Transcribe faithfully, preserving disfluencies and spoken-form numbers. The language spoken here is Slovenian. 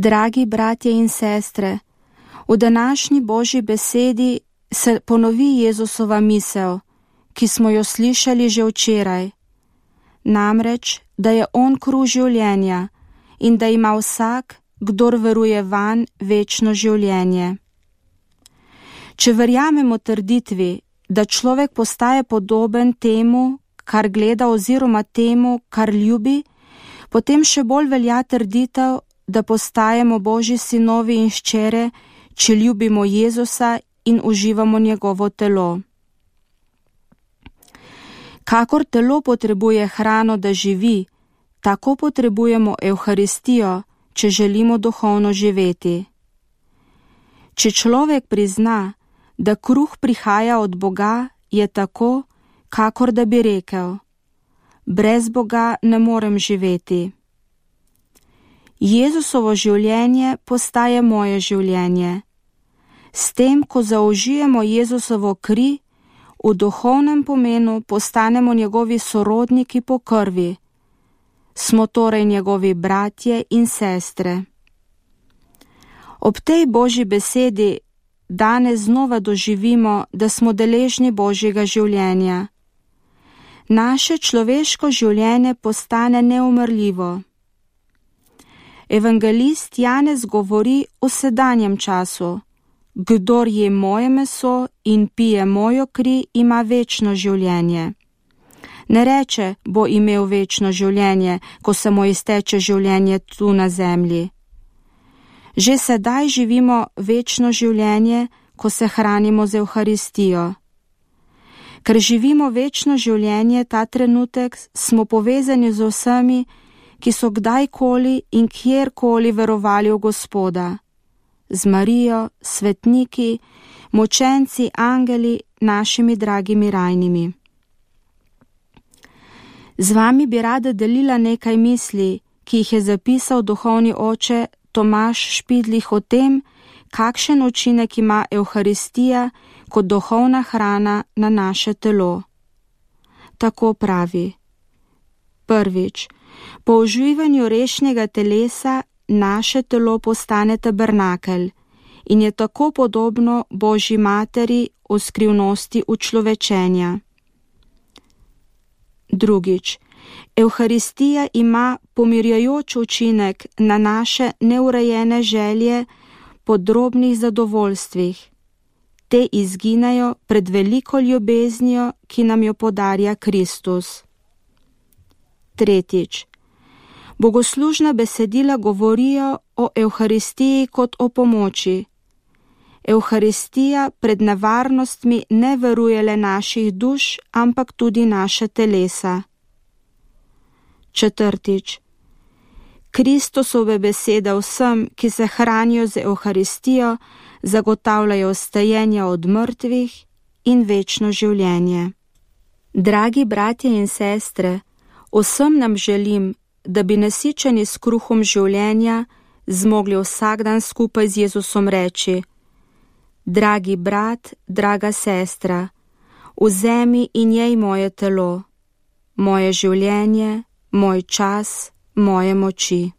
Dragi bratje in sestre, v današnji Božji besedi se ponovi Jezusova misel, ki smo jo slišali že včeraj. Namreč, da je on kruh življenja in da ima vsak, kdor veruje vanj, večno življenje. Če verjamemo trditvi, da človek postaje podoben temu, kar gleda oziroma temu, kar ljubi, potem še bolj velja trditev, da postajamo Božji sinovi in hčere, če ljubimo Jezusa in uživamo njegovo telo. Kakor telo potrebuje hrano, da živi, tako potrebujemo Evharistijo, če želimo duhovno živeti. Če človek prizna, da kruh prihaja od Boga, je tako, kakor da bi rekel: brez Boga ne morem živeti. Jezusovo življenje postaje moje življenje. S tem, ko zaužijemo Jezusovo kri, v duhovnem pomenu postanemo njegovi sorodniki po krvi. Smo torej njegovi bratje in sestre. Ob tej Božji besedi danes znova doživimo, da smo deležni Božjega življenja. Naše človeško življenje postane neumrljivo. Evangelist Janez govori o sedanjem času: kdor je moje meso in pije mojo kri, ima večno življenje. Ne reče, bo imel večno življenje, ko se mu izteče življenje tu na zemlji. Že sedaj živimo večno življenje, ko se hranimo z Evharistijo. Ker živimo večno življenje ta trenutek, smo povezani z vsemi, ki so kdajkoli in kjerkoli verovali v Gospoda. Z Marijo, svetniki, močenci, angeli, našimi dragimi rajnimi. Z vami bi rada delila nekaj misli, ki jih je zapisal duhovni oče Tomaž Špidlih o tem, kakšen učinek ima Evharistija kot duhovna hrana na naše telo. Tako pravi: prvič, po uživanju rešnjega telesa naše telo postane tabernakelj in je tako podobno Božji materi v skrivnosti učlovečenja. Drugič, Evharistija ima pomirjajoč učinek na naše neurejene želje po drobnih zadovoljstvih. Te izginejo pred veliko ljubeznijo, ki nam jo podarja Kristus. Tretjič, bogoslužna besedila govorijo o Evharistiji kot o pomoči. Evharistija pred nevarnostmi ne varuje le naših duš, ampak tudi naše telesa. Četrtič, Kristusove besede vsem, ki se hranijo z Evharistijo, zagotavljajo vstajenje od mrtvih in večno življenje. Dragi bratje in sestre, vsem nam želim, da bi nasičeni s kruhom življenja zmogli vsak dan skupaj z Jezusom reči: dragi brat, draga sestra, vzemi in jej moje telo, moje življenje, moj čas, moje moči.